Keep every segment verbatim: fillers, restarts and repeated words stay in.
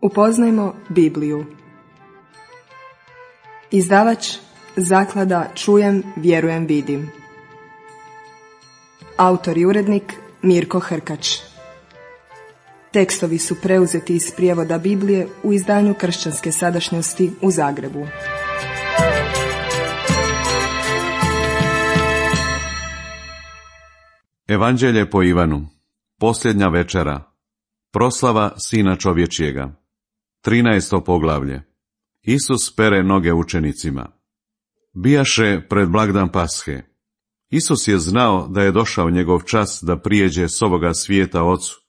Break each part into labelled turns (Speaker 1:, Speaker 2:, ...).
Speaker 1: Upoznajmo Bibliju. Izdavač Zaklada Čujem, vjerujem, vidim. Autor i urednik Mirko Hrkač. Tekstovi su preuzeti iz prijevoda Biblije u izdanju Kršćanske sadašnjosti u Zagrebu.
Speaker 2: Evanđelje po Ivanu. Posljednja večera. Proslava Sina čovječjega. trinaesto poglavlje. Isus pere noge učenicima. Bijaše pred blagdan Pashe. Isus je znao da je došao njegov čas da prijeđe s ovoga svijeta Ocu,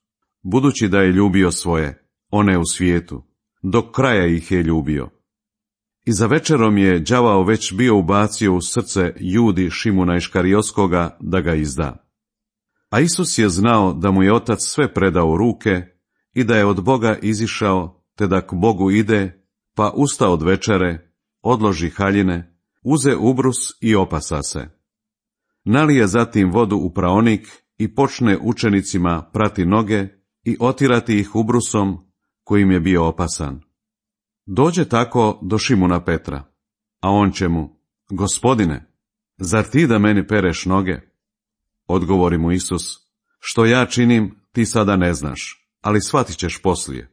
Speaker 2: budući da je ljubio svoje, one u svijetu, do kraja ih je ljubio. I za večerom je đavao već bio ubacio u srce Judi Šimuna Iškarijotskoga da ga izda. A Isus je znao da mu je Otac sve predao u ruke i da je od Boga izišao, te da k Bogu ide, pa usta od večere, odloži haljine, uze ubrus i opasa se. Nalije zatim vodu u praonik i počne učenicima prati noge i otirati ih ubrusom kojim je bio opasan. Dođe tako do Šimuna Petra, a on će mu: Gospodine, zar ti da meni pereš noge? Odgovori mu Isus: Što ja činim, ti sada ne znaš, ali shvatit ćeš poslije.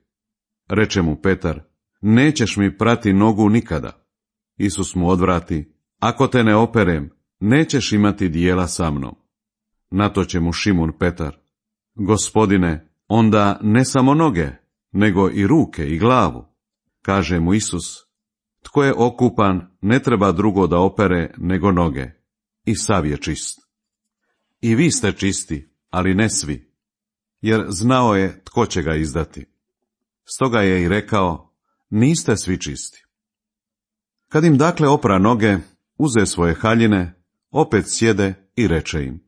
Speaker 2: Reče mu Petar: Nećeš mi prati nogu nikada. Isus mu odvrati: Ako te ne operem, nećeš imati dijela sa mnom. Na to će mu Šimun Petar: Gospodine, onda ne samo noge, nego i ruke i glavu. Kaže mu Isus: Tko je okupan, ne treba drugo da opere nego noge, i sav je čist. I vi ste čisti, ali ne svi, jer znao je tko će ga izdati. Stoga je i rekao: Niste svi čisti. Kad im dakle opra noge, uze svoje haljine, opet sjede i reče im: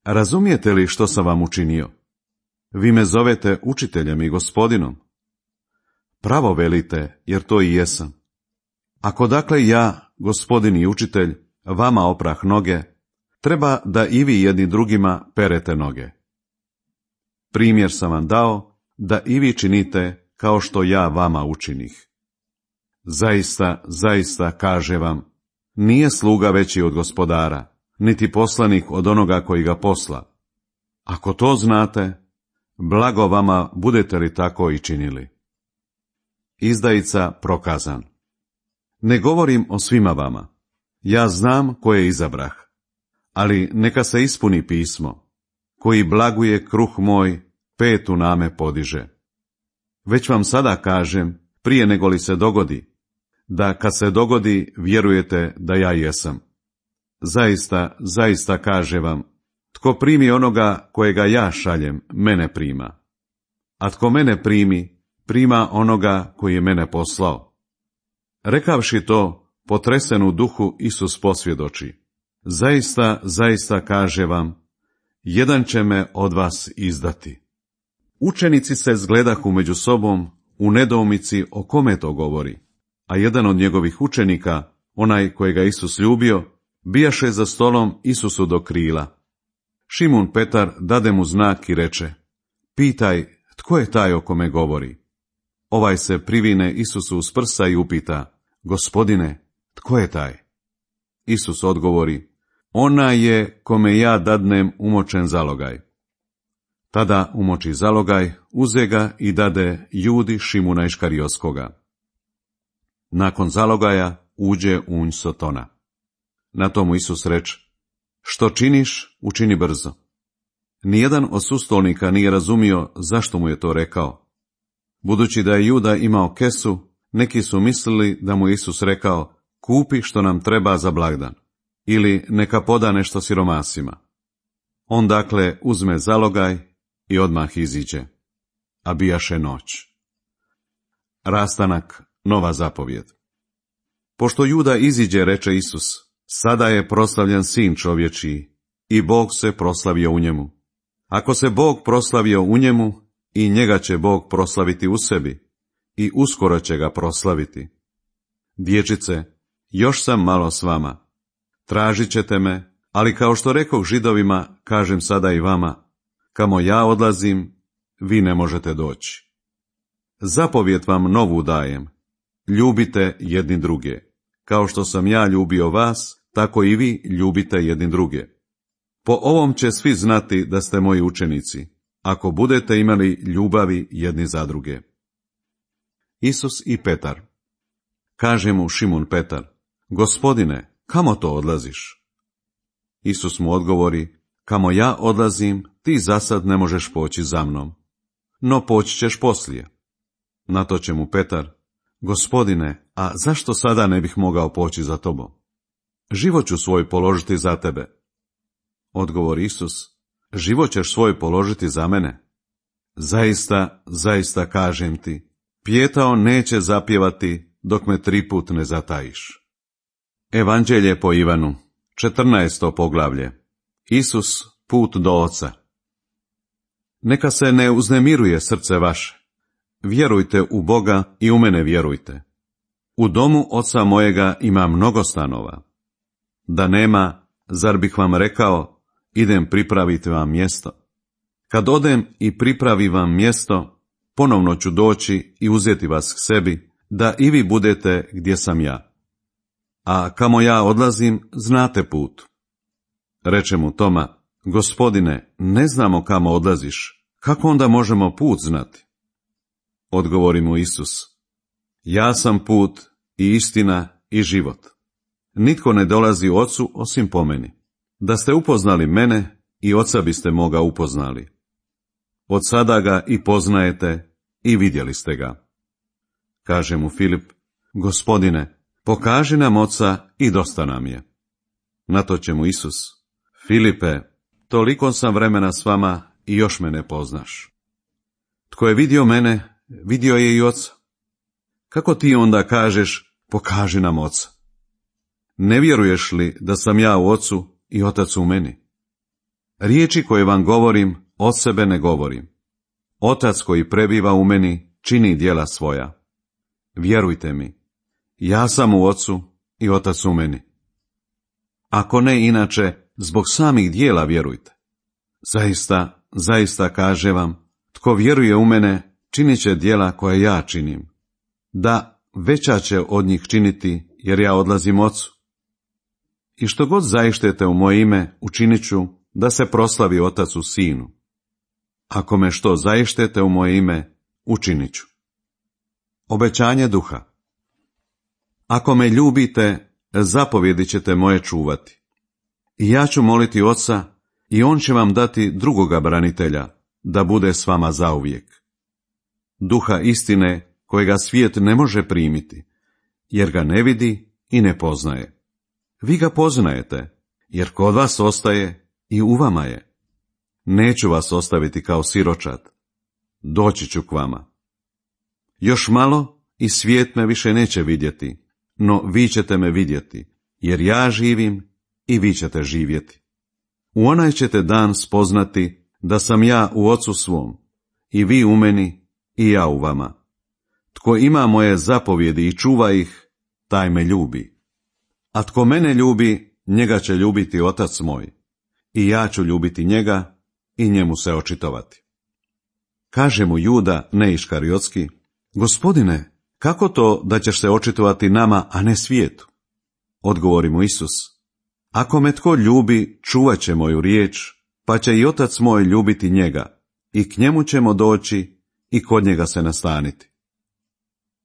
Speaker 2: Razumijete li što sam vam učinio? Vi me zovete učiteljem i gospodinom. Pravo velite, jer to i jesam. Ako dakle ja, gospodin i učitelj, vama oprah noge, treba da i vi jedni drugima perete noge. Primjer sam vam dao, da i vi činite kao što ja vama učinih. Zaista, zaista, kaže vam, nije sluga veći od gospodara, niti poslanik od onoga koji ga posla. Ako to znate, blago vama budete li tako i činili. Izdajica prokazan. Ne govorim o svima vama, ja znam koje izabrah, ali neka se ispuni pismo, koji blaguje kruh moj, petu name podiže. Već vam sada kažem, prije nego li se dogodi, da kad se dogodi, vjerujete da ja jesam. Zaista, zaista kaže vam, tko primi onoga kojega ja šaljem, mene prima. A tko mene primi, prima onoga koji je mene poslao. Rekavši to, potresen u duhu, Isus posvjedoči: Zaista, zaista kaže vam, jedan će me od vas izdati. Učenici se zgledahu među sobom u nedoumici o kome to govori, a jedan od njegovih učenika, onaj kojega Isus ljubio, bijaše za stolom Isusu do krila. Šimun Petar dade mu znak i reče: Pitaj, tko je taj o kome govori? Ovaj se privine Isusu uz prsa i upita: Gospodine, tko je taj? Isus odgovori: Ona je kome ja dadnem umočen zalogaj. Tada umoči zalogaj, uze ga i dade Judi Šimuna Iškarijotskoga. Nakon zalogaja uđe unj Sotona. Na tomu Isus reče: Što činiš, učini brzo. Nijedan od sustolnika nije razumio zašto mu je to rekao. Budući da je Juda imao kesu, neki su mislili da mu Isus rekao: Kupi što nam treba za blagdan, ili neka poda nešto siromasima. On dakle uzme zalogaj i odmah iziđe, a bijaše noć. Rastanak, nova zapovjed. Pošto Juda iziđe, reče Isus: Sada je proslavljen Sin čovječiji, i Bog se proslavio u njemu. Ako se Bog proslavio u njemu, i njega će Bog proslaviti u sebi, i uskoro će ga proslaviti. Dječice, još sam malo s vama. Tražit ćete me, ali kao što rekoh Židovima, kažem sada i vama: Kamo ja odlazim, vi ne možete doći. Zapovijed vam novu dajem. Ljubite jedni druge. Kao što sam ja ljubio vas, tako i vi ljubite jedni druge. Po ovom će svi znati da ste moji učenici, ako budete imali ljubavi jedni za druge. Isus i Petar. Kaže mu Šimun Petar: Gospodine, kamo to odlaziš? Isus mu odgovori: Kamo ja odlazim, ti zasad ne možeš poći za mnom, no poći ćeš poslije. Na to će mu Petar: Gospodine, a zašto sada ne bih mogao poći za tobom? Život ću svoj položiti za tebe. Odgovori Isus: Život ćeš svoj položiti za mene? Zaista, zaista kažem ti, pijetao neće zapjevati dok me tri put ne zatajiš. Evanđelje po Ivanu, četrnaesto poglavlje. Isus, put do Oca. Neka se ne uznemiruje srce vaše. Vjerujte u Boga i u mene vjerujte. U domu Oca mojega ima mnogo stanova. Da nema, zar bih vam rekao, idem pripraviti vam mjesto? Kad odem i pripravi vam mjesto, ponovno ću doći i uzeti vas k sebi, da i vi budete gdje sam ja. A kamo ja odlazim, znate put. Reče mu Toma: Gospodine, ne znamo kamo odlaziš, kako onda možemo put znati? Odgovori mu Isus: Ja sam put i istina i život. Nitko ne dolazi Ocu osim po meni. Da ste upoznali mene, i Oca biste moga upoznali. Od sada ga i poznajete i vidjeli ste ga. Kaže mu Filip: Gospodine, pokaži nam Oca i dosta nam je. Na to će mu Isus: Filipe, toliko sam vremena s vama i još me ne poznaš. Tko je vidio mene, vidio je i Oca. Kako ti onda kažeš: pokaži nam Oca? Ne vjeruješ li da sam ja u Ocu i Otac u meni? Riječi koje vam govorim, od sebe ne govorim. Otac koji prebiva u meni čini djela svoja. Vjerujte mi, ja sam u Ocu i Otac u meni. Ako ne inače, zbog samih djela vjerujte. Zaista, zaista kaže vam, tko vjeruje u mene, činit će djela koje ja činim. Da, veća će od njih činiti, jer ja odlazim Ocu. I što god zaištete u moje ime, učinit ću, da se proslavi Otac u Sinu. Ako me što zaištete u moje ime, učinit ću. Obećanje Duha. Ako me ljubite, zapovjedi ćete moje čuvati. I ja ću moliti Oca, i on će vam dati drugoga branitelja, da bude s vama zauvijek. Duha istine, kojega svijet ne može primiti, jer ga ne vidi i ne poznaje. Vi ga poznajete, jer kod vas ostaje i u vama je. Neću vas ostaviti kao siročad. Doći ću k vama. Još malo i svijet me više neće vidjeti, no vi ćete me vidjeti, jer ja živim i vi ćete živjeti. U onaj ćete dan spoznati da sam ja u Ocu svom, i vi u meni i ja u vama. Tko ima moje zapovjedi i čuva ih, taj me ljubi. A tko mene ljubi, njega će ljubiti Otac moj, i ja ću ljubiti njega i njemu se očitovati. Kaže mu Juda, ne Iškariotski: Gospodine, kako to da ćeš se očitovati nama, a ne svijetu? Odgovori mu Isus: Ako me tko ljubi, čuvat će moju riječ, pa će i Otac moj ljubiti njega, i k njemu ćemo doći i kod njega se nastaniti.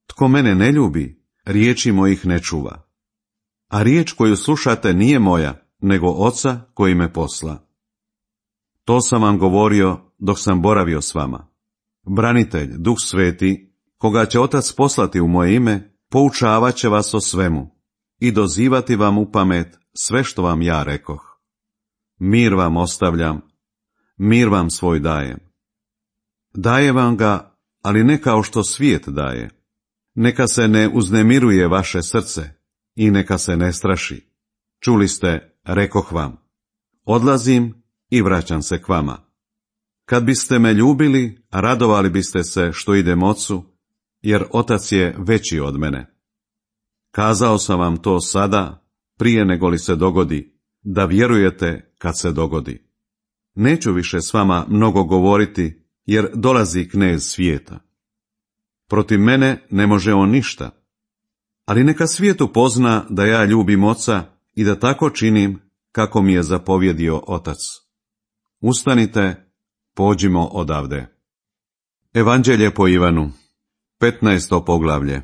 Speaker 2: Tko mene ne ljubi, riječi mojih ne čuva. A riječ koju slušate nije moja, nego Oca koji me posla. To sam vam govorio dok sam boravio s vama. Branitelj, Duh Sveti, koga će Otac poslati u moje ime, poučavat će vas o svemu i dozivati vam u pamet sve što vam ja rekoh. Mir vam ostavljam, mir vam svoj dajem. Daje vam ga, ali ne kao što svijet daje. Neka se ne uznemiruje vaše srce i neka se ne straši. Čuli ste, rekoh vam, odlazim i vraćam se k vama. Kad biste me ljubili, radovali biste se što idem Ocu, jer Otac je veći od mene. Kazao sam vam to sada, prije nego li se dogodi, da vjerujete kad se dogodi. Neću više s vama mnogo govoriti, jer dolazi knez svijeta. Protiv mene ne može on ništa. Ali neka svijet upozna da ja ljubim Oca i da tako činim kako mi je zapovjedio Otac. Ustanite, pođimo odavde. Evanđelje po Ivanu, petnaesto poglavlje.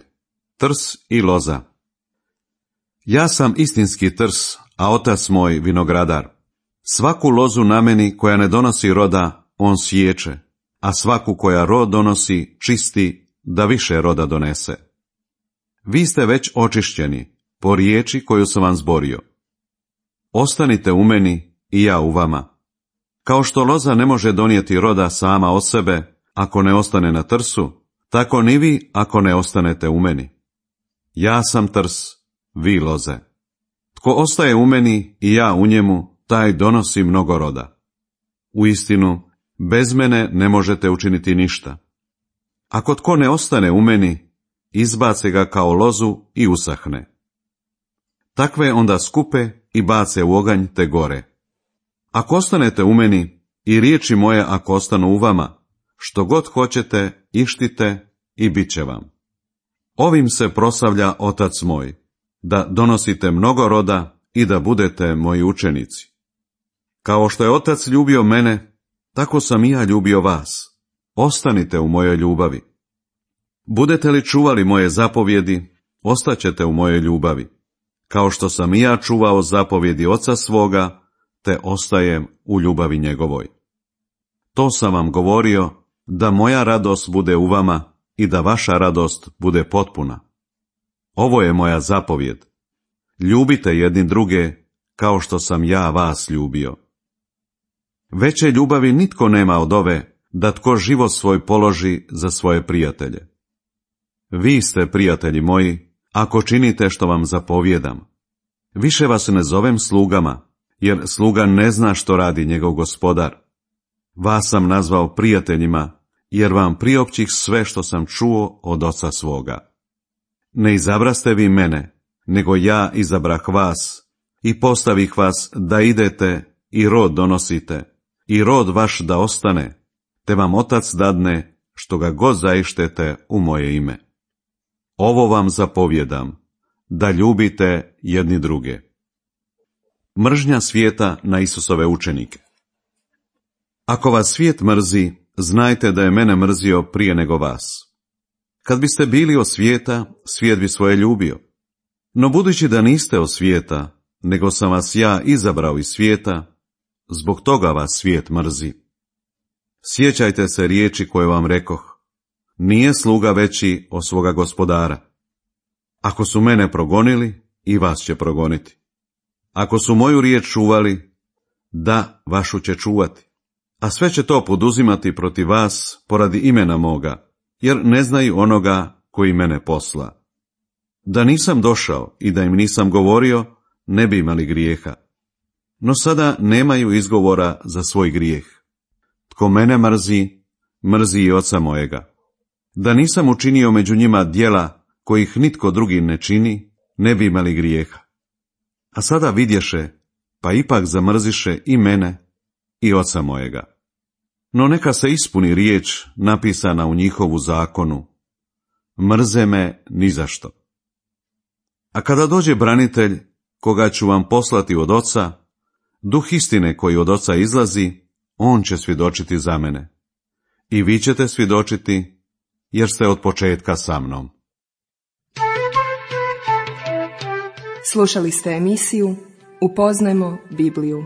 Speaker 2: Trs i loza. Ja sam istinski trs, a Otac moj vinogradar. Svaku lozu na meni koja ne donosi roda, on siječe, a svaku koja rod donosi, čisti, da više roda donese. Vi ste već očišćeni, po riječi koju sam vam zborio. Ostanite u meni i ja u vama. Kao što loza ne može donijeti roda sama od sebe, ako ne ostane na trsu, tako ni vi ako ne ostanete u meni. Ja sam trs, vi loze. Tko ostaje u meni i ja u njemu, taj donosi mnogo roda. Uistinu, bez mene ne možete učiniti ništa. Ako tko ne ostane u meni, izbace ga kao lozu i usahne. Takve onda skupe i bace u oganj te gore. Ako ostanete u meni i riječi moje ako ostanu u vama, što god hoćete, ištite i bit će vam. Ovim se proslavlja Otac moj, da donosite mnogo roda i da budete moji učenici. Kao što je Otac ljubio mene, tako sam i ja ljubio vas. Ostanite u mojoj ljubavi. Budete li čuvali moje zapovjedi, ostaćete u mojoj ljubavi, kao što sam i ja čuvao zapovjedi Oca svoga, te ostajem u ljubavi njegovoj. To sam vam govorio, da moja radost bude u vama i da vaša radost bude potpuna. Ovo je moja zapovjed. Ljubite jedni druge, kao što sam ja vas ljubio. Veće ljubavi nitko nema od ove, da tko život svoj položi za svoje prijatelje. Vi ste, prijatelji moji, ako činite što vam zapovjedam. Više vas ne zovem slugama, jer sluga ne zna što radi njegov gospodar. Vas sam nazvao prijateljima, jer vam priopćih sve što sam čuo od Oca svoga. Ne izabraste vi mene, nego ja izabrah vas i postavih vas da idete i rod donosite, i rod vaš da ostane, te vam Otac dadne što ga god zaištete u moje ime. Ovo vam zapovjedam, da ljubite jedni druge. Mržnja svijeta na Isusove učenike. Ako vas svijet mrzi, znajte da je mene mrzio prije nego vas. Kad biste bili od svijeta, svijet bi svoje ljubio. No budući da niste od svijeta, nego sam vas ja izabrao iz svijeta, zbog toga vas svijet mrzi. Sjećajte se riječi koje vam rekoh. Nije sluga veći od svoga gospodara. Ako su mene progonili, i vas će progoniti. Ako su moju riječ čuvali, da, vašu će čuvati. A sve će to poduzimati protiv vas poradi imena moga, jer ne znaju onoga koji mene posla. Da nisam došao i da im nisam govorio, ne bi imali grijeha. No sada nemaju izgovora za svoj grijeh. Tko mene mrzi, mrzi i Oca mojega. Da nisam učinio među njima djela kojih nitko drugi ne čini, ne bi imali grijeha. A sada vidješe, pa ipak zamrziše i mene i Oca mojega. No neka se ispuni riječ napisana u njihovu zakonu. Mrze me nizašto. A kada dođe branitelj, koga ću vam poslati od Oca, duh istine koji od Oca izlazi, on će svjedočiti za mene. I vi ćete svjedočiti, jer ste od početka sa mnom.
Speaker 1: Slušali ste emisiju Upoznajmo Bibliju.